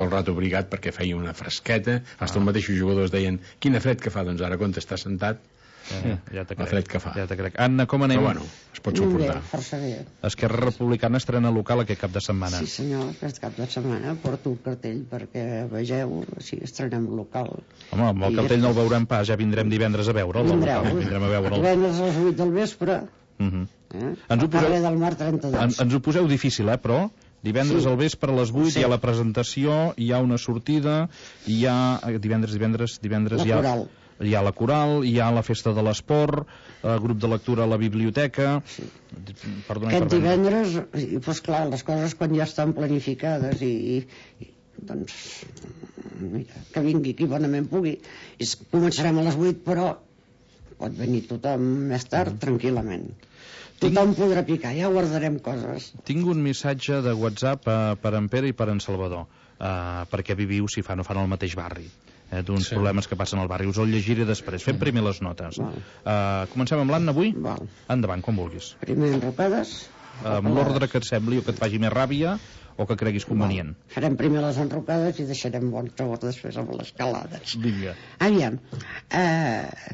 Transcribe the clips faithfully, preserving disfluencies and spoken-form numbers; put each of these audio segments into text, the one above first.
pel rato obligat perquè feia una fresqueta. Fins els mateixos jugadors deien quina fred que fa, doncs ara quan està sentat Eh, ja te la fred que fa. Ja te crec. Anna, com anem? Però bueno, es pot suportar. Bé, força bé. Esquerra Republicana estrena local aquest cap de setmana. Sí senyor, aquest cap de setmana porto un cartell perquè vegeu, sí, estrenem local. Home, amb el I cartell no el veurem pas, ja vindrem divendres a veure'l. Vindreu, local. Vindrem a veure'l. divendres a les vuit del vespre, uh -huh. eh? Ens ho poseu... Carrer del Mar trenta-dos. En, ens ho poseu difícil, eh, però divendres Sí. al vespre a les vuit Sí. hi ha la presentació, hi ha una sortida, hi ha divendres, divendres, divendres La hi ha... coral. Hi ha la coral, hi ha la festa de l'esport, el grup de lectura a la biblioteca... Sí. Perdona, Aquest perdona. divendres, i, doncs clar, les coses quan ja estan planificades i, i, i doncs mira, que vingui qui bonament pugui. I començarem a les vuit, però pot venir tothom més tard, mm. tranquil·lament. Tothom Tinc... podrà picar, ja guardarem coses. Tinc un missatge de WhatsApp uh, per en Pere i per en Salvador, uh, perquè viviu, si fa no fan al mateix barri. Eh, d'uns sí. problemes que passen al barri. Us el llegiré després. Fem primer les notes. Uh, comencem amb l'Anna avui? Val. Endavant, quan vulguis. Primer enrocades. Uh, amb l'ordre que et sembli o que et faci més ràbia o que creguis convenient. Val. Farem primer les enrocades i deixarem bon sabor després amb les calades. Vinga. Aviam. Eh,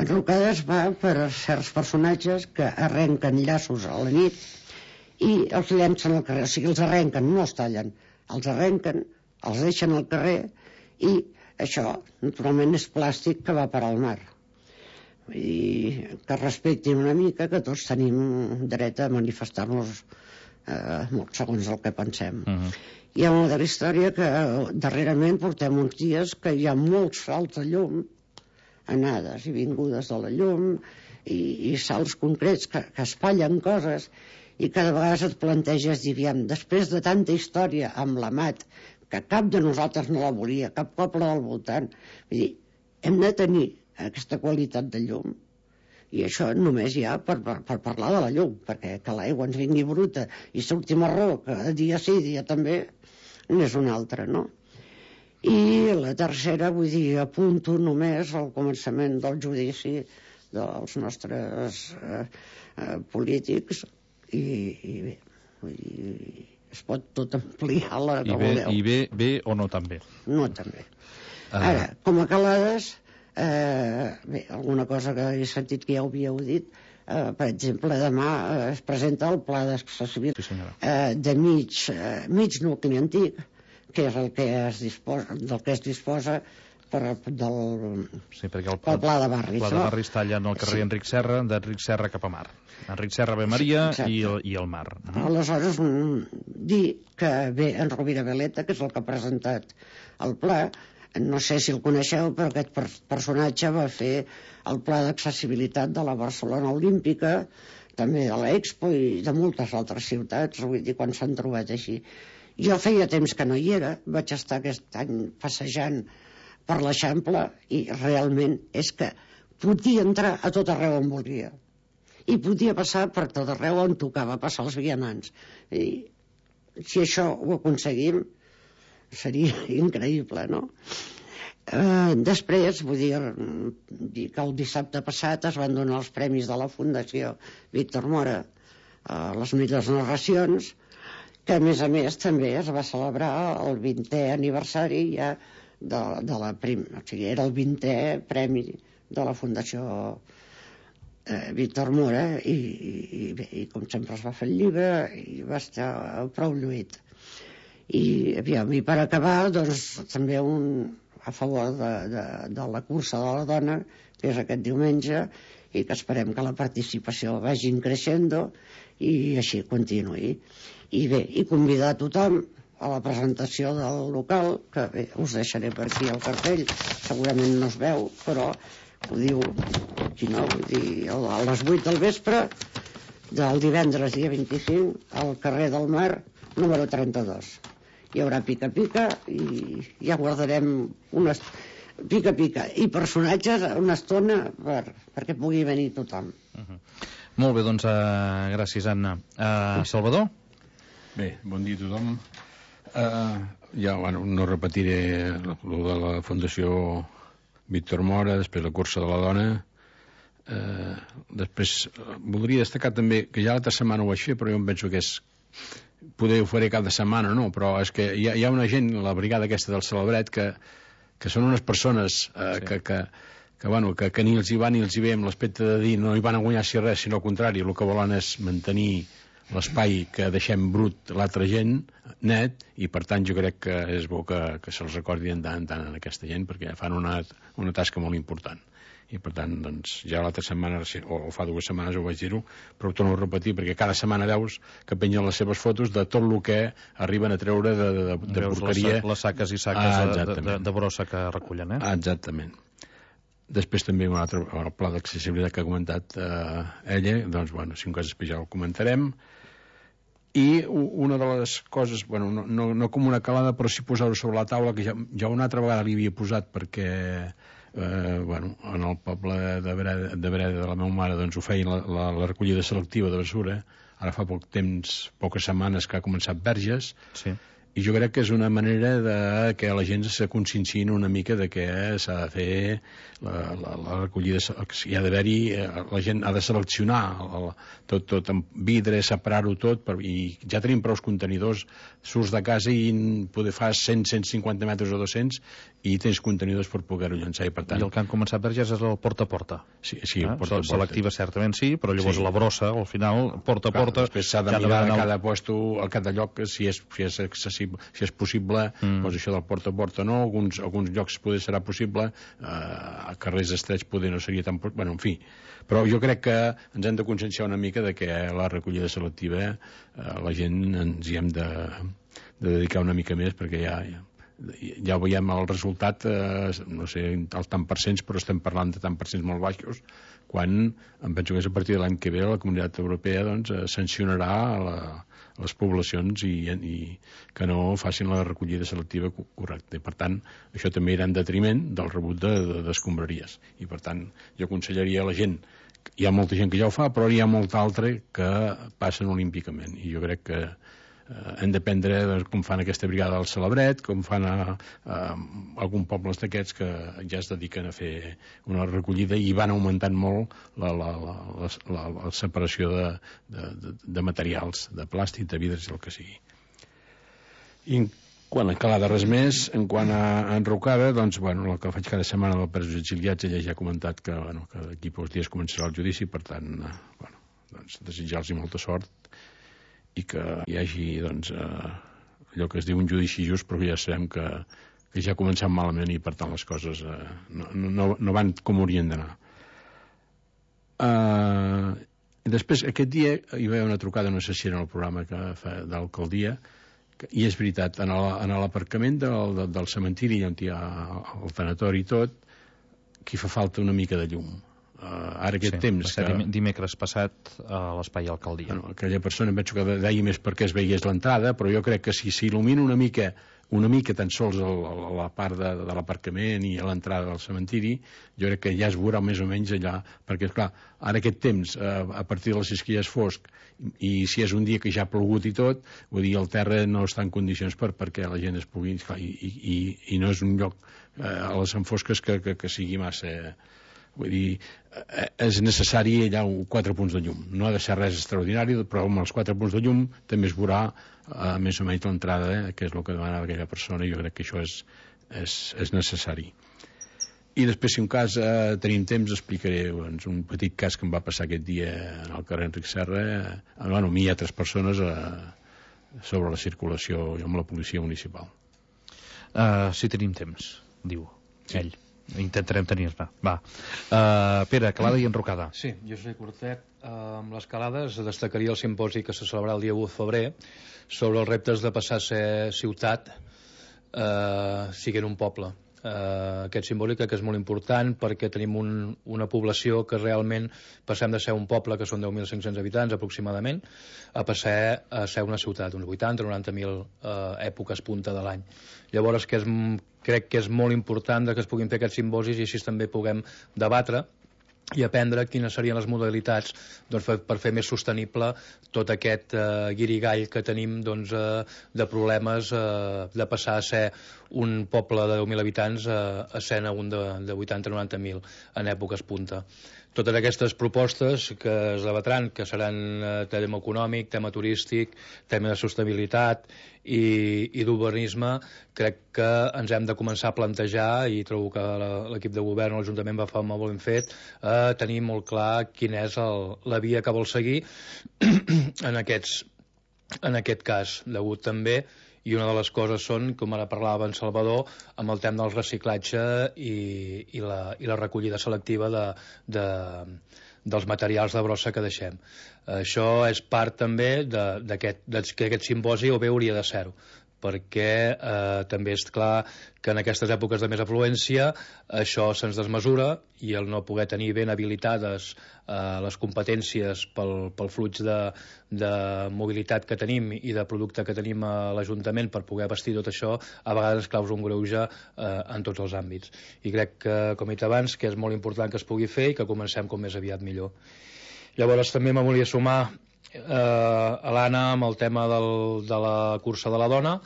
enrocades va per certs personatges que arrenquen llaços a la nit i els llencen al carrer. O sigui, els arrenquen, no els tallen. Els arrenquen, els deixen al carrer i això, naturalment, és plàstic que va parar al mar. I que respectin una mica, que tots tenim dret a manifestar-nos eh, segons el que pensem. Uh -huh. Hi ha una altra història que darrerament portem uns dies que hi ha molts salts de llum, anades i vingudes de la llum, i, i salts concrets que, que espatllen coses, i cada vegada et planteges, diríem, després de tanta història amb l'Amat, que cap de nosaltres no la volia, cap poble del voltant. Vull dir, hem de tenir aquesta qualitat de llum, i això només hi ha per, per, per parlar de la llum, perquè que l'aigua ens vingui bruta i surti marró, que dia sí, dia també, n'és una altra, no? I la tercera, vull dir, apunto només al començament del judici dels nostres eh, eh, polítics, i, i bé, vull dir, es pot tot ampliar la que I bé, voleu. I bé, bé o no tan bé? No tan bé. Uh... Ara, com a calades, eh, bé, alguna cosa que he sentit que ja ho havíeu dit, eh, per exemple, demà eh, es presenta el pla d'accessibilitat sí, eh, de mig, eh, mig nucli antic, que és el que es disposa, del que es disposa per, del, sí, perquè el, pel pla de barris. El pla de barris talla en el carrer sí. Enric Serra, d'Enric Serra cap a mar. Enric Serra ve Maria sí, i, el, i el mar. Uh -huh. Aleshores, mm, dir que ve en Rovira Veleta, que és el que ha presentat el pla, no sé si el coneixeu, però aquest per personatge va fer el pla d'accessibilitat de la Barcelona Olímpica, també de l'Expo i de moltes altres ciutats, vull dir, quan s'han trobat així. Jo feia temps que no hi era, vaig estar aquest any passejant per l'Eixample i realment és que podia entrar a tot arreu on volia i podia passar per tot arreu on tocava passar els vianants. I si això ho aconseguim seria increïble, no? Eh, després, vull dir, dir que el dissabte passat es van donar els premis de la Fundació Víctor Mora a les millors narracions, que a més a més també es va celebrar el vintè aniversari ja de, de la prim... o sigui, era el vintè premi de la Fundació eh, Víctor Mora i, i, i, i com sempre es va fer el llibre i va estar prou lluït. I, aviam, i per acabar, doncs, també un a favor de, de, de la cursa de la dona, que és aquest diumenge, i que esperem que la participació vagi creixent i així continuï. I bé, i convidar a tothom a la presentació del local, que bé, us deixaré per aquí el cartell, segurament no es veu, però ho diu aquí, no? Vull dir, a les vuit del vespre del divendres dia vint-i-cinc al carrer del Mar número trenta-dos. Hi haurà pica-pica i ja guardarem unes pica-pica i personatges una estona per, perquè pugui venir tothom. Uh -huh. Molt bé, doncs uh, gràcies, Anna. Uh, Salvador? Bé, bon dia a tothom. Uh, ja, bueno, no repetiré el de la Fundació Víctor Mora, després la cursa de la dona. Uh, després, uh, voldria destacar també que ja l'altra setmana ho vaig fer, però jo em penso que és poder ho faré cada setmana, no, però és que hi ha, hi ha una gent, la brigada aquesta del Celebret, que, que són unes persones eh, sí. que, que, que, bueno, que, que ni els hi va ni els hi ve amb l'aspecte de dir no hi van a guanyar si res, sinó al contrari, el que volen és mantenir l'espai que deixem brut l'altra gent net, i per tant jo crec que és bo que, que se'ls recordi en tant en tant a aquesta gent, perquè fan una, una tasca molt important. I per tant, doncs, ja l'altra setmana, o fa dues setmanes ho vaig dir-ho, però ho torno a repetir, perquè cada setmana veus que pengen les seves fotos de tot el que arriben a treure de, de, de, de porqueria. Les, les saques i saques ah, de, de, de brossa que recullen, eh? Ah, exactament. Després també un altre el pla d'accessibilitat que ha comentat eh, ella, doncs, bueno, si un cas després ja el comentarem. I una de les coses, bueno, no, no, no com una calada, però sí posar-ho sobre la taula, que ja, ja una altra vegada li havia posat, perquè eh, bueno, en el poble de Breda, de Breda de la meva mare, doncs ho feien la, la, la recollida selectiva de basura. Ara fa poc temps, poques setmanes que ha començat Verges, sí. I jo crec que és una manera de que la gent se conscienciï una mica de que s'ha de fer la, la, la recollida, hi ha d'haver-hi, la gent ha de seleccionar el, tot, tot amb vidre, separar-ho tot, per, i ja tenim prou contenidors, surts de casa i poder fas cent a cent cinquanta metres o dos-cents i tens contenidors per poder-ho llançar, i per tant... I el que han començat Verges és el porta a porta. Sí, sí, eh? el porta a porta. Selectiva certament sí, però llavors sí. La brossa, al final, porta a Clar, porta... Després s'ha de mirar a cada puesto, a cada lloc, si és, si és accessible, si és possible, mm. doncs això del porta a porta no, alguns, alguns llocs poder serà possible, eh, a carrers estrets poder no seria tan... Bueno, en fi, però jo crec que ens hem de conscienciar una mica de que la recollida selectiva eh, la gent ens hi hem de, de dedicar una mica més, perquè ja... ja ja veiem el resultat, eh, no sé el tant per cents, però estem parlant de tant per cents molt baixos, quan em penso que és a partir de l'any que ve la Comunitat Europea doncs, eh, sancionarà la, les poblacions i, i que no facin la recollida selectiva correcta. I per tant, això també irà en detriment del rebut d'escombraries. De, de I per tant, jo aconsellaria a la gent, hi ha molta gent que ja ho fa, però hi ha molta altra que passen olímpicament, i jo crec que Uh, hem d'aprendre doncs, com fan aquesta brigada del Celebret, com fan a, a, a alguns pobles d'aquests que ja es dediquen a fer una recollida i van augmentant molt la, la, la, la, la, la separació de, de, de, de materials, de plàstic, de vidres, el que sigui. I en quant a calada res més, en quant a enrocada, doncs, bueno, el que faig cada setmana dels presos exiliats, ella ja ha comentat que, bueno, que d'aquí pocs dies començarà el judici, per tant, uh, bueno, doncs, desitjar-los molta sort i que hi hagi doncs, eh, allò que es diu un judici just, però ja sabem que, que ja ha començat malament i per tant les coses eh, no, no, no van com haurien d'anar. Uh, i després aquest dia hi va haver una trucada, no sé si era en el programa que fa de l'alcaldia, i és veritat, en l'aparcament del, del, del cementiri on hi ha el tanatori i tot, que fa falta una mica de llum. Uh, ara aquest sí, temps que... dimecres passat a l'espai alcaldia. Bueno, aquella persona em penso que deia més perquè es veiés l'entrada, però jo crec que si s'il·lumina una mica una mica tan sols a la part de, de l'aparcament i a l'entrada del cementiri, jo crec que ja es veurà més o menys allà, perquè esclar, ara aquest temps eh, a partir de les sis que ja és fosc i si és un dia que ja ha plogut i tot, vull dir, el terra no està en condicions per perquè la gent es pugui... i, i, i no és un lloc eh, a les enfosques que, que, que sigui massa... Vull dir, és necessari allà quatre punts de llum. No ha de ser res extraordinari, però amb els quatre punts de llum també es veurà eh, més o menys l'entrada, eh, que és el que demana aquella persona, i jo crec que això és, és, és necessari. I després, si un cas eh, tenim temps, explicaré doncs, un petit cas que em va passar aquest dia al carrer Enric Serra, eh, bueno, a mi i altres persones eh, sobre la circulació amb la policia municipal. Uh, si tenim temps, diu sí. Ell. Intentarem tenir-ne. Va. Uh, Pere, calada i enrocada. Sí, jo soy curtet. Uh, amb les calades destacaria el simposi que se celebrarà el dia u de febrer sobre els reptes de passar a ser ciutat uh, siguent un poble. Uh, aquest simbòlic que és molt important perquè tenim un, una població que realment passem de ser un poble que són deu mil cinc-cents habitants aproximadament a passar a ser una ciutat, uns vuitanta o noranta mil uh, èpoques punta de l'any. Llavors que és, crec que és molt important que es puguin fer aquests simbosis i així també puguem debatre i aprendre quines serien les modalitats doncs, per, per fer més sostenible tot aquest eh, guirigall que tenim doncs, eh, de problemes eh, de passar a ser un poble de deu mil habitants eh, a ser un de, de vuitanta o noranta mil en èpoques punta. totes aquestes propostes que es debatran, que seran eh, tema econòmic, tema turístic, tema de sostenibilitat i, i d'urbanisme, crec que ens hem de començar a plantejar, i trobo que l'equip de govern, l'Ajuntament va fer molt ben fet, a eh, tenir molt clar quina és el, la via que vol seguir en, aquests, en aquest cas, degut també. I una de les coses són, com ara parlava en Salvador, amb el tema del reciclatge i, i, la, i la recollida selectiva de, de, dels materials de brossa que deixem. Això és part també d'aquest aquest simposi, o bé hauria de ser-ho, perquè eh, també és clar que en aquestes èpoques de més afluència això se'ns desmesura, i el no poder tenir ben habilitades eh, les competències pel, pel flux de, de mobilitat que tenim i de producte que tenim a l'Ajuntament per poder vestir tot això, a vegades causa un greuge eh, en tots els àmbits. I crec que, com he dit abans, que és molt important que es pugui fer i que comencem com més aviat millor. Llavors també me volia sumar eh, a l'Anna amb el tema del, de la cursa de la dona,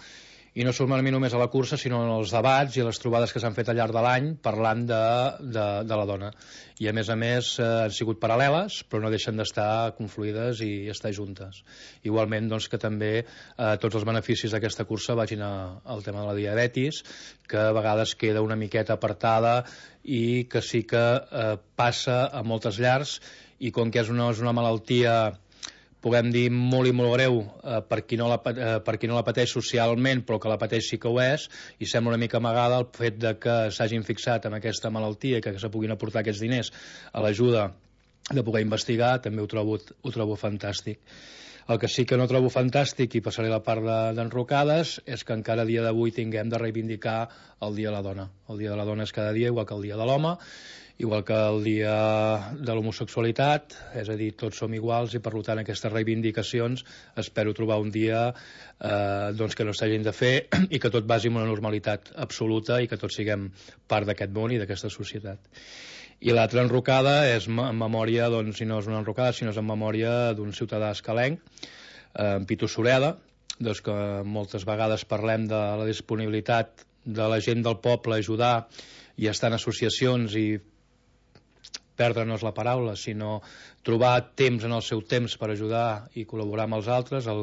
i no sumar-me només a la cursa, sinó en els debats i les trobades que s'han fet al llarg de l'any parlant de, de, de la dona. I a més a més eh, han sigut paral·leles, però no deixen d'estar confluïdes i estar juntes. Igualment, doncs, que també eh, tots els beneficis d'aquesta cursa vagin a, al tema de la diabetis, que a vegades queda una miqueta apartada i que sí que eh, passa a moltes llars, i com que és una, és una malaltia, puguem dir, molt i molt greu eh, per, qui no la, eh, per qui no la pateix socialment, però que la pateix sí que ho és, i sembla una mica amagada el fet de que s'hagin fixat en aquesta malaltia i que se puguin aportar aquests diners a l'ajuda de poder investigar, també ho trobo, ho trobo fantàstic. El que sí que no trobo fantàstic, i passaré la part d'enrocades, de, és que encara a dia d'avui tinguem de reivindicar el Dia de la Dona. El Dia de la Dona és cada dia, igual que el Dia de l'Home, igual que el dia de l'homosexualitat, és a dir, tots som iguals, i per tant aquestes reivindicacions espero trobar un dia eh, doncs que no s'hagin de fer i que tot vagi en una normalitat absoluta i que tots siguem part d'aquest món i d'aquesta societat. I l'altra enrocada és en memòria, doncs, si no és una enrocada, sinó és en memòria d'un ciutadà escalenc, eh, en Pitu Sureda, doncs que moltes vegades parlem de la disponibilitat de la gent del poble a ajudar i estar en associacions i perdre'ns la paraula, sinó trobar temps en el seu temps per ajudar i col·laborar amb els altres. El,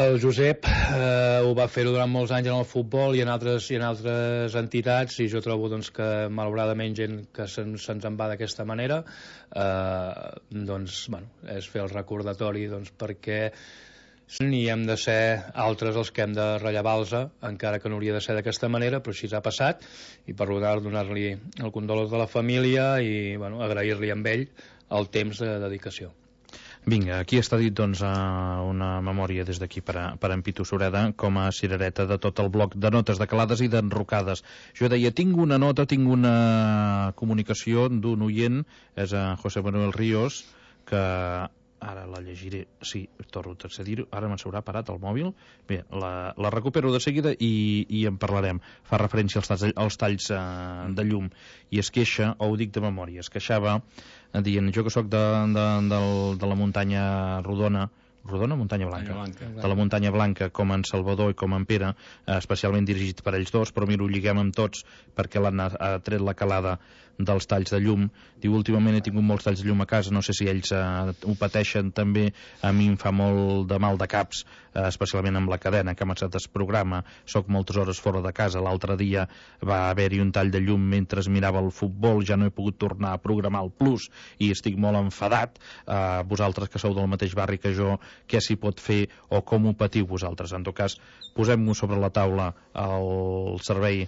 el Josep eh, ho va fer durant molts anys en el futbol i en altres, i en altres entitats, i jo trobo doncs, que malauradament gent que se'ns se en va d'aquesta manera, eh, doncs, bueno, és fer el recordatori, doncs, perquè ni hem de ser altres els que hem de rellevar-los, encara que no hauria de ser d'aquesta manera, però així ha passat, i per tant donar-li el condol de la família i bueno, agrair-li amb ell el temps de dedicació. Vinga, aquí està dit doncs, una memòria des d'aquí per, a, per a en Pitu Sureda com a cirereta de tot el bloc de notes de calades i d'enrocades. Jo deia, tinc una nota, tinc una comunicació d'un oient, és a José Manuel Ríos, que ara la llegiré, sí, torno a dir-ho, ara me s'haurà parat el mòbil, bé, la, la recupero de seguida i, i en parlarem. Fa referència als talls, als talls eh, de llum, i es queixa, o ho dic de memòria, es queixava dient, jo que sóc de, de, de, de la muntanya Rodona, Rodona, Muntanya Blanca, Blanca, de la Muntanya Blanca, com en Salvador i com en Pere, eh, especialment dirigit per ells dos, però mira, ho lliguem amb tots perquè l'han tret la calada dels talls de llum. Diu, últimament he tingut molts talls de llum a casa, no sé si ells eh, ho pateixen també, a mi em fa molt de mal de caps, eh, especialment amb la cadena que m'ha es programa, soc moltes hores fora de casa, l'altre dia va haver-hi un tall de llum mentre mirava el futbol, ja no he pogut tornar a programar el Plus i estic molt enfadat. Eh, vosaltres que sou del mateix barri que jo, què s'hi pot fer o com ho patiu vosaltres? En tot cas, posem-ho sobre la taula el servei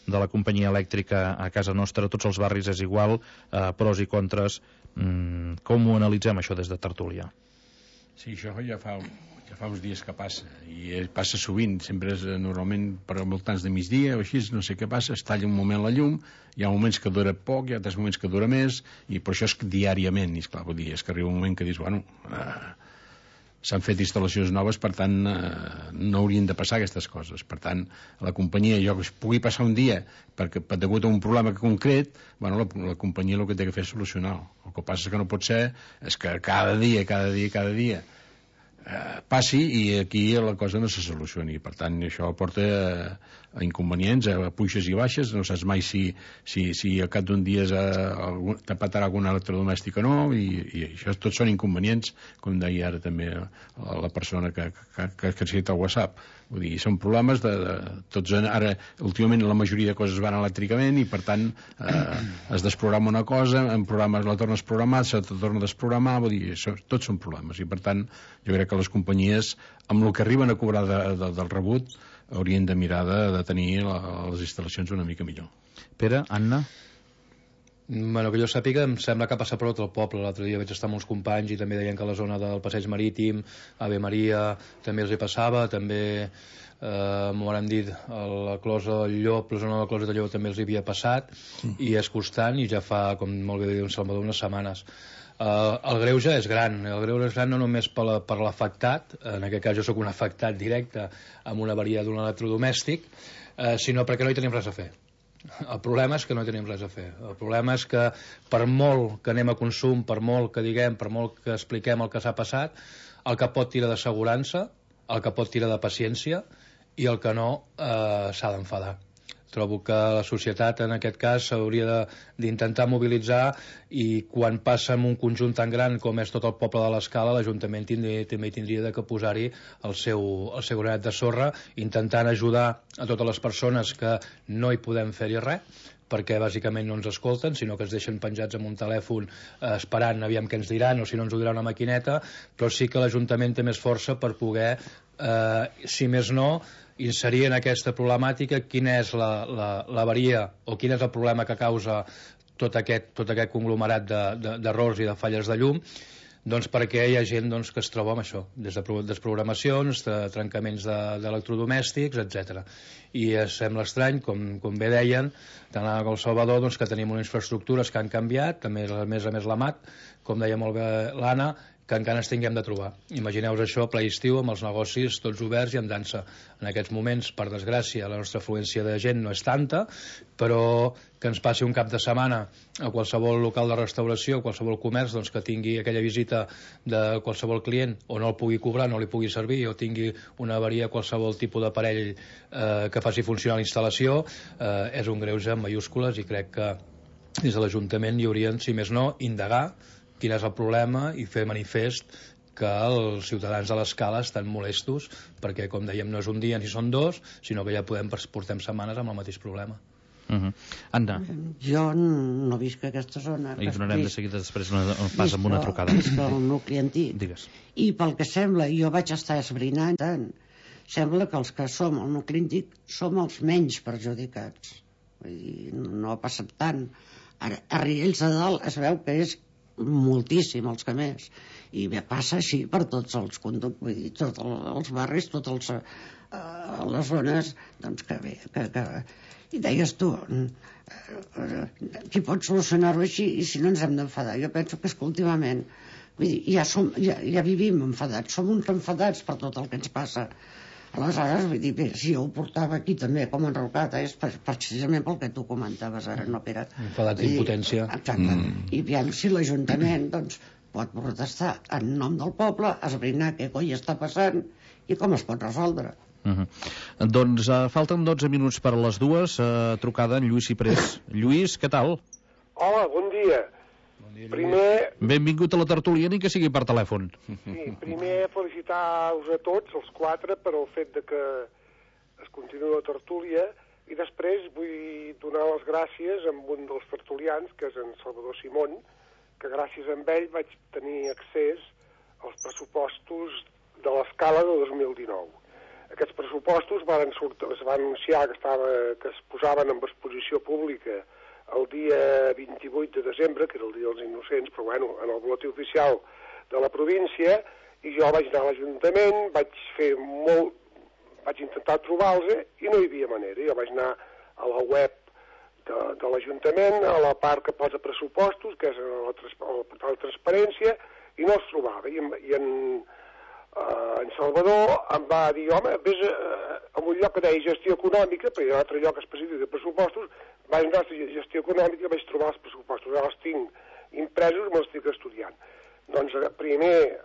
de la companyia elèctrica a casa nostra, tots els barris és igual, eh, pros i contres. Mm, com ho analitzem això des de Tertúlia? Sí, això ja fa, ja fa uns dies que passa, i passa sovint, sempre és normalment per voltants de migdia o així, no sé què passa, es talla un moment la llum, hi ha moments que dura poc, hi ha altres moments que dura més, i per això és diàriament, i esclar, vull dir, és que arriba un moment que dius, bueno, eh, s'han fet instal·lacions noves, per tant eh, no haurien de passar aquestes coses. Per tant, la companyia, jo que es pugui passar un dia perquè per degut a un problema concret, bueno, la, la companyia el que té que fer és solucionar. El que passa és que no pot ser és que cada dia, cada dia, cada dia eh, passi i aquí la cosa no se solucioni. Per tant, això porta a, a inconvenients, a puixes i baixes, no saps mai si, si, si al cap d'un dia t'apatarà algun electrodomèstic o no, i, i això tots són inconvenients, com deia ara també la persona que, que, que, que ha cita al WhatsApp. Vull dir, són problemes de, de tots. Ara, últimament, la majoria de coses van elèctricament i, per tant, eh, es desprograma una cosa, en programes la tornes a programar, se te torna a desprogramar, vull dir, això, tots són problemes. I, per tant, jo crec que les companyies, amb el que arriben a cobrar de, de, del rebut, haurien de mirar de, de tenir la, les instal·lacions una mica millor. Pere, Anna? Bueno, que jo sàpiga, em sembla que ha passat per tot el poble. L'altre dia vaig estar amb uns companys i també deien que a la zona del Passeig Marítim, Ave Maria, també els hi passava, també eh, m'ho han dit, a la Closa del Llop, la zona de la Closa del Llop també els hi havia passat, mm. i és constant, i ja fa, com molt bé diu en Salvador, unes setmanes. Uh, el greuge és gran, el greuge és gran no només per l'afectat, en aquest cas jo sóc un afectat directe amb una avaria d'un electrodomèstic, uh, sinó perquè no hi tenim res a fer. El problema és que no hi tenim res a fer. El problema és que per molt que anem a consum, per molt que diguem, per molt que expliquem el que s'ha passat, el que pot tirar d'assegurança, el que pot tirar de paciència, i el que no eh, s'ha d'enfadar. Trobo que la societat en aquest cas s'hauria d'intentar mobilitzar, i quan passa en un conjunt tan gran com és tot el poble de l'Escala, l'Ajuntament tindria, també tindria de que posar-hi el seu, el seu granet de sorra, intentant ajudar a totes les persones que no hi podem fer-hi res, perquè bàsicament no ens escolten, sinó que es deixen penjats amb un telèfon eh, esperant aviam què ens diran, o si no ens ho dirà una maquineta, però sí que l'Ajuntament té més força per poder, eh, si més no, inserir en aquesta problemàtica quina és l'avaria o quin és el problema que causa tot aquest, tot aquest conglomerat d'errors de, de, i de falles de llum, doncs perquè hi ha gent doncs, que es troba amb això, des de desprogramacions, de trencaments d'electrodomèstics, etcètera. I sembla estrany, com, com bé deien, tant a El Salvador, doncs, que tenim unes infraestructures que han canviat, també a més a més la M A C, com deia molt bé l'Anna, que encara ens tinguem de trobar. Imagineu-vos això, ple estiu, amb els negocis tots oberts i en dansa. En aquests moments, per desgràcia, la nostra afluència de gent no és tanta, però que ens passi un cap de setmana a qualsevol local de restauració, a qualsevol comerç, doncs, que tingui aquella visita de qualsevol client, o no el pugui cobrar, no li pugui servir, o tingui una avaria a qualsevol tipus d'aparell eh, que faci funcionar la instal·lació, eh, és un greuge en mayúscules, i crec que des de l'Ajuntament hi haurien, si més no, indagar quin és el problema i fer manifest que els ciutadans de l'Escala estan molestos perquè, com dèiem, no és un dia ni són dos, sinó que ja podem portem setmanes amb el mateix problema. Uh -huh. Anna. Jo no visc a aquesta zona. I donarem de seguida després una, un pas amb una trucada. Visc al nucli antic. Digues. I pel que sembla, jo vaig estar esbrinant tant, sembla que els que som al nucli antic som els menys perjudicats. Vull dir, no ha passat tant. Ara, a Riells de Dalt es veu que és moltíssim els que més, i bé, passa així per tots els conductes, vull dir, tots els barris, totes uh, les zones, doncs que bé, que, que... i deies tu, uh, uh, qui pot solucionar-ho així, i si no ens hem d'enfadar? Jo penso que és que últimament, vull dir, ja, som, ja, ja vivim enfadats, som uns enfadats per tot el que ens passa. Aleshores, vull dir, bé, si jo ho portava aquí també com enrocat, és precisament pel que tu comentaves ara, no, Pere? Enfadat d'impotència. Exacte. Mm. I aviam si l'Ajuntament, doncs, pot protestar en nom del poble, esbrinar què coi està passant i com es pot resoldre. Uh -huh. Doncs uh, falten dotze minuts per a les dues, uh, trucada en Lluís Ciprés. Lluís, què tal? Hola, bon dia. Primer... Benvingut a la tertúlia, ni que sigui per telèfon. Sí, primer felicitar-vos a tots, els quatre, per el fet de que es continua la tertúlia, i després vull donar les gràcies a un dels tertulians, que és en Salvador Simón, que gràcies a ell vaig tenir accés als pressupostos de l'Escala de dos mil dinou. Aquests pressupostos van sortir, es van anunciar que, estava, que es posaven en exposició pública el dia vint-i-vuit de desembre, que era el dia dels innocents, però bueno, en el boletí oficial de la província, i jo vaig anar a l'Ajuntament, vaig fer molt, vaig intentar trobar-los i no hi havia manera. Jo vaig anar a la web de, de l'Ajuntament, a la part que posa pressupostos, que és el, el portal de transparència, i no els trobava. I, i en, uh, en Salvador em va dir, home, vés a, a un lloc que deia gestió econòmica, perquè hi ha un altre lloc específic de pressupostos, vaig anar a gestió econòmica i vaig trobar els pressupostos. Ara els tinc impresos i me'ls estic estudiant. Doncs primer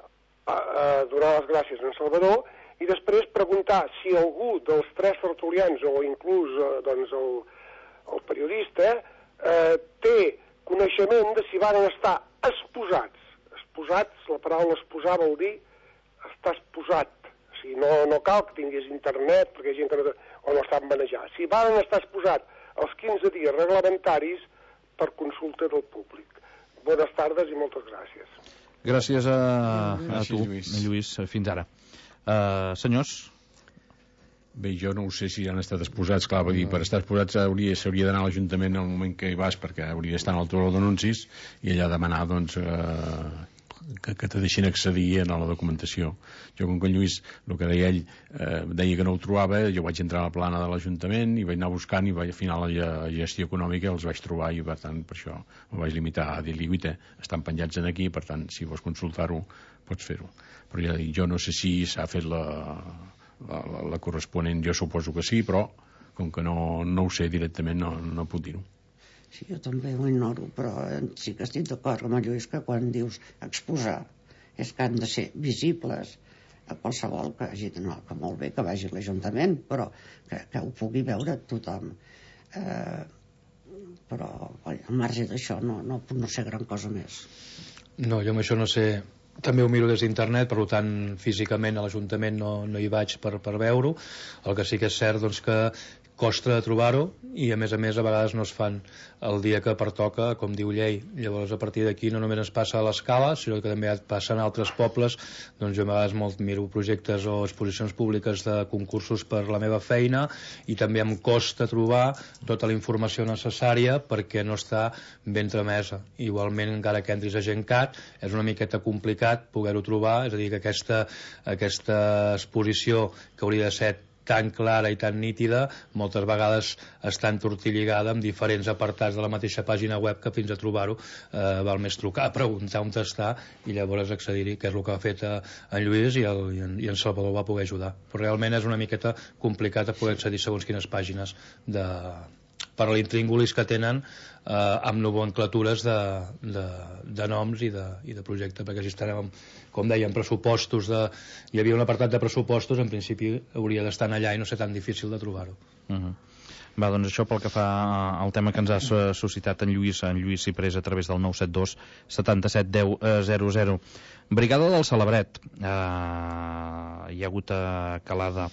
a donar les gràcies a en Salvador i després preguntar si algú dels tres tertulians o inclús eh, doncs el, el periodista eh, té coneixement de si van estar esposats. Esposats, la paraula esposar vol dir estar esposat. O sigui, no, no cal que tinguis internet perquè hi ha gent que no, o no estan manejant. Si van estar esposats els quinze dies reglamentaris per consulta del públic. Bones tardes i moltes gràcies. Gràcies a, a Gràcies, tu, Lluís. Lluís, fins ara. Uh, senyors? Bé, jo no ho sé si han estat exposats, clar, vull dir, per estar exposats s'hauria d'anar a l'Ajuntament al moment que hi vas, perquè hauria d'estar en el tauló d'anuncis i allà demanar, doncs, eh, que, que te deixin accedir a la documentació. Jo, com que en Lluís, el que deia ell, eh, deia que no ho trobava, jo vaig entrar a la plana de l'Ajuntament i vaig anar buscant i vaig, al final la gestió econòmica els vaig trobar i, per tant, per això em vaig limitar a dir-li, guita, estan penjats en aquí, per tant, si vols consultar-ho, pots fer-ho. Però ja dic, jo no sé si s'ha fet la... La, la, la corresponent, jo suposo que sí, però com que no, no ho sé directament no, no puc dir-ho. Sí, jo també ho ignoro, però sí que estic d'acord amb el Lluís que quan dius exposar és que han de ser visibles a qualsevol que hagi d'anar, que molt bé que vagi a l'Ajuntament, però que, que ho pugui veure tothom. Eh, però al marge d'això no, no, no sé gran cosa més. No, jo amb això no sé. També ho miro des d'internet, per tant físicament a l'Ajuntament no, no hi vaig per, per veure-ho. El que sí que és cert doncs, que costa de trobar-ho i a més a més a vegades no es fan el dia que pertoca, com diu llei. Llavors a partir d'aquí no només es passa a l'Escala, sinó que també passa en altres pobles. Doncs jo a vegades molt miro projectes o exposicions públiques de concursos per la meva feina i també em costa trobar tota la informació necessària perquè no està ben tramesa. Igualment, encara que entris a Gencat, és una miqueta complicat poder-ho trobar, és a dir, que aquesta, aquesta exposició que hauria de ser tan clara i tan nítida moltes vegades està entortilligada amb diferents apartats de la mateixa pàgina web que fins a trobar-ho eh, val més trucar, preguntar on està i llavors accedir-hi, que és el que ha fet eh, en Lluís i, el, i, en, i en Salvador va poder ajudar, però realment és una miqueta complicat a poder accedir segons quines pàgines de, per l'intríngulis que tenen eh, amb nomenclatures de, de, de noms i de, i de projecte, perquè si estarem com dèiem, pressupostos de... hi havia un apartat de pressupostos, en principi hauria d'estar allà i no ser tan difícil de trobar-ho. Uh-huh. Va, doncs això pel que fa al tema que ens ha suscitat en Lluís, en Lluís Ciprés a través del nou set dos setanta-set deu zero zero. Brigada del Celebret. Uh, hi ha hagut uh, calada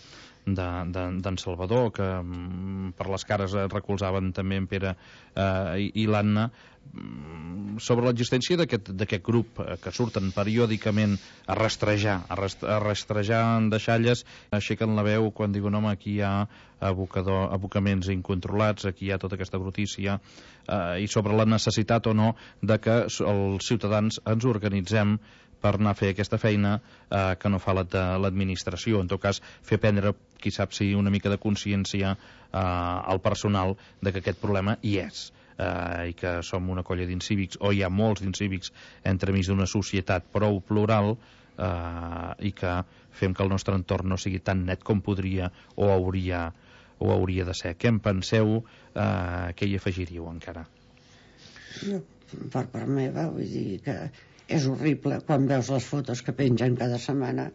d'en de, de, Salvador, que mm, per les cares recolzaven també en Pere eh, i, i l'Anna, mm, sobre l'existència d'aquest grup eh, que surten periòdicament a rastrejar, a, rest, a rastrejar en deixalles, aixequen la veu quan diuen, home, aquí hi ha abocador, abocaments incontrolats, aquí hi ha tota aquesta brutícia, eh, i sobre la necessitat o no de que els ciutadans ens organitzem per anar a fer aquesta feina eh, que no fa l'administració. En tot cas, fer prendre, qui sap si una mica de consciència eh, al personal de que aquest problema hi és eh, i que som una colla d'incívics, o hi ha molts d'incívics entremig d'una societat prou plural eh, i que fem que el nostre entorn no sigui tan net com podria o hauria, o hauria de ser. Què en penseu? Eh, què hi afegiríeu encara? Jo, per part meva, vull dir que és horrible quan veus les fotos que pengen cada setmana,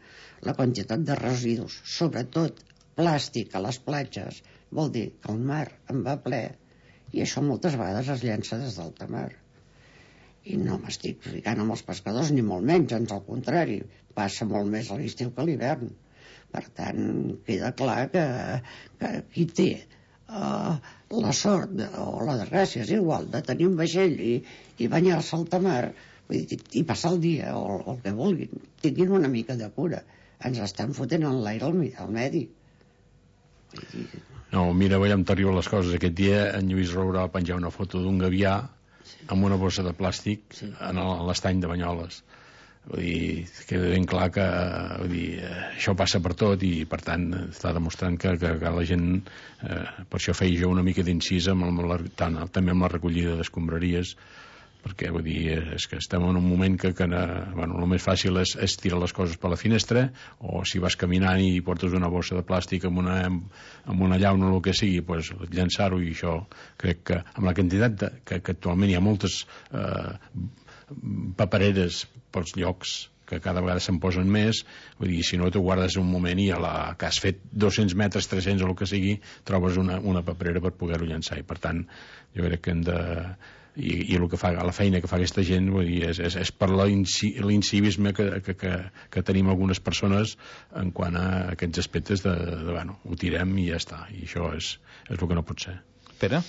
la quantitat de residus, sobretot plàstic a les platges, vol dir que el mar en va ple i això moltes vegades es llença des d'alta mar. I no m'estic ficant amb els pescadors ni molt menys, ans al contrari, passa molt més a l'estiu que a l'hivern. Per tant, queda clar que, que qui té uh, la sort de, o la desgràcia, és igual, de tenir un vaixell i, i banyar-se al mar i passar el dia o el que vulguin, tinguin una mica de cura, ens estan fotent en l'aire al medi. No, mira, veiem terrible les coses. Aquest dia en Lluís Roura va penjar una foto d'un gavià amb una bossa de plàstic sí. en l'estany de Banyoles. Vull dir, queda ben clar que vull dir, això passa per tot i per tant està demostrant que, que, que la gent eh, per això feia jo una mica d'incís amb la, tant, també amb la recollida d'escombraries, perquè vull dir, és que estem en un moment que, que bueno, el més fàcil és, és tirar les coses per la finestra, o si vas caminant i portes una bossa de plàstic amb una, amb una llauna o el que sigui, pues, llançar-ho, i això crec que amb la quantitat de, que, que actualment hi ha moltes eh, papereres pels llocs que cada vegada se'n posen més, vull dir, si no t'ho guardes un moment i a la, que has fet dos-cents metres, tres-cents o el que sigui, trobes una, una paperera per poder-ho llançar, i per tant jo crec que hem de... i, i el que fa, la feina que fa aquesta gent, vull dir, és, és, és per l'incivisme que, que, que, que tenim algunes persones en quant a aquests aspectes de, de, de bueno, ho tirem i ja està, i això és, és el que no pot ser. Pere?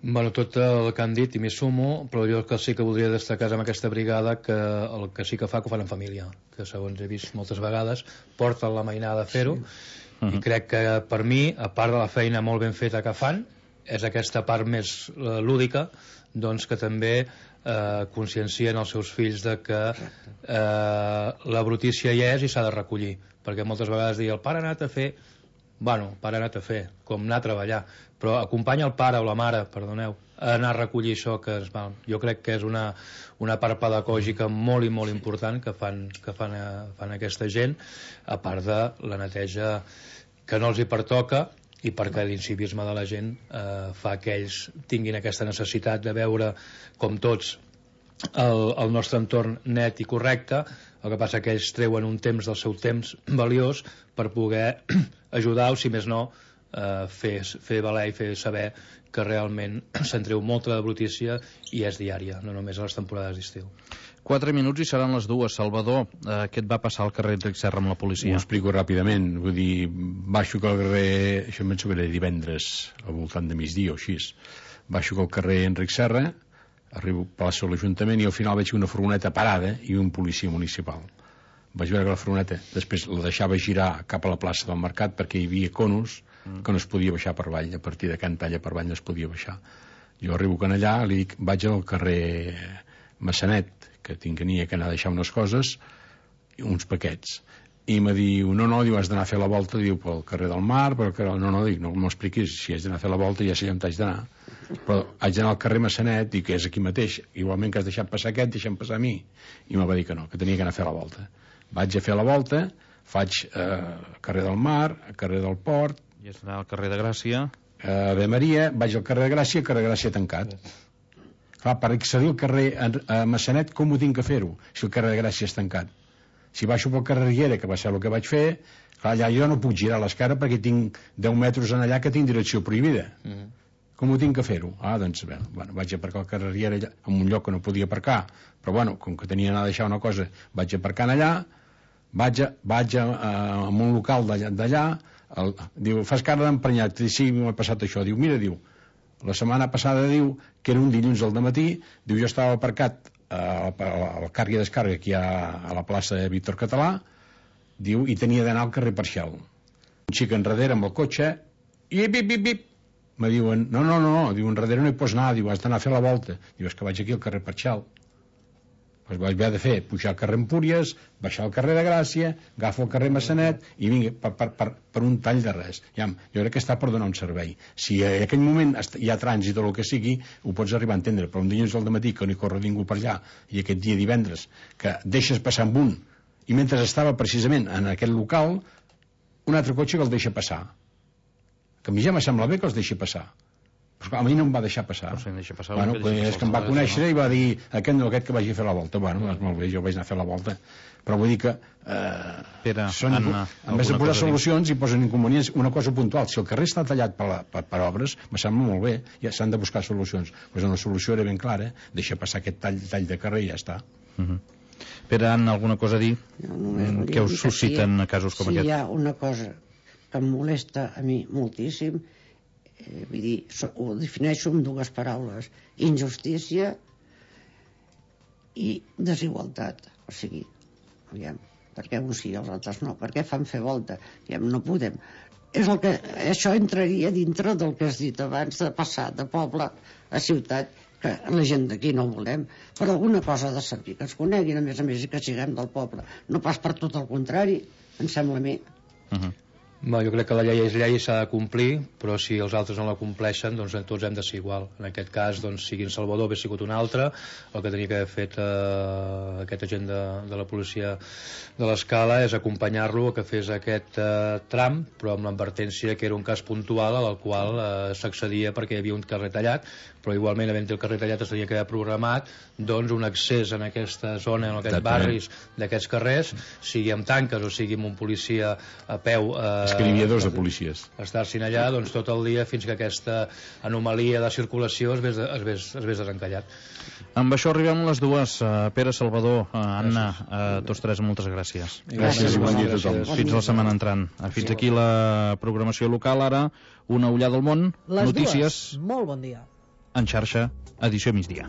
Bueno, tot el que han dit i m'hi sumo, però jo que sí que voldria destacar amb aquesta brigada que el que sí que fa que ho fan en família, que segons he vist moltes vegades porten la mainada a fer-ho, sí. Uh-huh. I crec que per mi, a part de la feina molt ben feta que fan, és aquesta part més eh, lúdica, doncs que també eh, consciencien els seus fills de que eh, la brutícia hi és i s'ha de recollir, perquè moltes vegades dir el pare ha anat a fer, bueno, el pare ha anat a fer, com anar a treballar, però acompanya el pare o la mare, perdoneu, a anar a recollir això que es va. Jo crec que és una, una part pedagògica molt i molt important que fan, que fan, a, fan aquesta gent, a part de la neteja que no els hi pertoca, i perquè l'incivisme de la gent eh, fa que ells tinguin aquesta necessitat de veure com tots el, el nostre entorn net i correcte. El que passa que ells treuen un temps del seu temps valiós per poder ajudar, o si més no eh, fer, fer valer i fer saber que realment se'n treu molta de brutícia i és diària, no només a les temporades d'estiu. Quatre minuts i seran les dues. Salvador, eh, què et va passar al carrer Enric Serra amb la policia? Ho explico ràpidament. Vull dir, baixo que al carrer... Això em penso que era divendres, al voltant de migdia o així. Baixo que al carrer Enric Serra, arribo a plaça de l'Ajuntament i al final veig una furgoneta parada i un policia municipal. Vaig veure que la furgoneta després la deixava girar cap a la plaça del Mercat perquè hi havia conos que no es podia baixar per avall. A partir de Can Talla per avall no es podia baixar. Jo arribo que allà, li dic, vaig al carrer Massanet, que tenia que anar a deixar unes coses, uns paquets, i me diu, no, no, diu, has d'anar a fer la volta, diu, pel carrer del Mar, pel carrer... no, no, dic, no m'expliquis, si haig d'anar a fer la volta ja sé on t'haig d'anar, però haig d'anar al carrer Massanet, dic, que és aquí mateix, igualment que has deixat passar aquest, deixa'm passar a mi, i me va dir que no, que tenia que anar a fer la volta. Vaig a fer la volta, faig eh, carrer del Mar, carrer del Port, i has d'anar al carrer de Gràcia, eh, Ave Maria, vaig al carrer de Gràcia, carrer de Gràcia tancat. Clar, per accedir al carrer a Massanet, com ho tinc que fer-ho, si el carrer de Gràcia és tancat? Si baixo pel carrer Riera, que va ser el que vaig fer, clar, allà jo no puc girar l'esquerra perquè tinc deu metres en allà que tinc direcció prohibida. Mm-hmm. Com ho tinc que fer-ho? Ah, doncs, bé, bueno, vaig aparcar al carrer Riera allà, en un lloc que no podia aparcar, però bueno, com que tenia d'anar a deixar una cosa, vaig aparcant allà, vaig a, vaig a, a, a un local d'allà, el, diu, fas cara d'emprenyat, sí, m'ha passat això, diu, mira, diu, la setmana passada, diu, que era un dilluns al dematí, diu, jo estava aparcat al càrrega i descàrrega aquí a, a la plaça de Víctor Català, diu, i tenia d'anar al carrer Parcial. Un xic enrere amb el cotxe, i bip, bip, bip, me diuen, no, no, no, diu, enrere no hi pots anar, diu, has d'anar a fer la volta. Diu, és que vaig aquí al carrer Parcial. Doncs vaig haver de fer, pujar al carrer Empúries, baixar al carrer de Gràcia, agafo el carrer Massanet i vinga, per, per, per, per un tall de res. Ja, jo crec que està per donar un servei. Si en aquell moment hi ha trànsit o el que sigui, ho pots arribar a entendre, però un dilluns al dematí que no hi corre ningú per allà, i aquest dia divendres, que deixes passar amb un, i mentre estava precisament en aquest local, un altre cotxe que el deixa passar. Que a mi ja me sembla bé que els deixi passar. Però a mi no em va deixar passar. No sé, deixa passar bueno, pues és que em va conèixer i va dir aquest no, aquest que vagi a fer la volta. Bueno, doncs molt bé, jo vaig anar a fer la volta. Però vull dir que eh, Pere, són, Anna, en vez de posar solucions i posen inconvenients, una cosa puntual. Si el carrer està tallat per, la, per, per obres, me sembla molt bé, ja s'han de buscar solucions. Pues una solució era ben clara, deixa passar aquest tall, tall de carrer i ja està. Uh -huh. Pere, Anna, alguna cosa a dir? No, què us susciten si, casos com si aquest? Si hi ha una cosa que em molesta a mi moltíssim, eh, vull dir, so, ho defineixo amb dues paraules: injustícia i desigualtat. O sigui, aviam, per què uns sí i els altres no? Per què fan fer volta? Aviam, no podem. És el que, això entraria dintre del que has dit abans, de passar de poble a ciutat, que la gent d'aquí no volem, però alguna cosa ha de servir, que ens coneguin a més a més i que siguem del poble, no pas per tot el contrari, em sembla a mi. Uh -huh. Bé, jo crec que la llei és llei i s'ha de complir, però si els altres no la compleixen, doncs tots hem de ser igual. En aquest cas, doncs, sigui en Salvador, hagués sigut un altre, el que tenia que haver fet eh, aquest agent de, de la policia de l'Escala és acompanyar-lo a que fes aquest eh, tram, però amb l'advertència que era un cas puntual al qual eh, s'accedia perquè hi havia un carrer tallat, però igualment, havent el carrer tallat, es tenia que haver programat doncs, un accés en aquesta zona, en aquests barris d'aquests carrers, sigui amb tanques o sigui amb un policia a peu eh, escriviadors de policies estar-s'hi allà doncs, tot el dia fins que aquesta anomalia de circulació es vés, es vés, es vés desencallat. Amb això arribem a les dues. uh, Pere, Salvador, uh, Anna, uh, tots tres, moltes gràcies. Gràcies i bon dia a tothom. Fins la setmana entrant. Fins aquí la programació local. Ara una ullada al món, les notícies dues. Molt bon dia. en xarxa, edició migdia.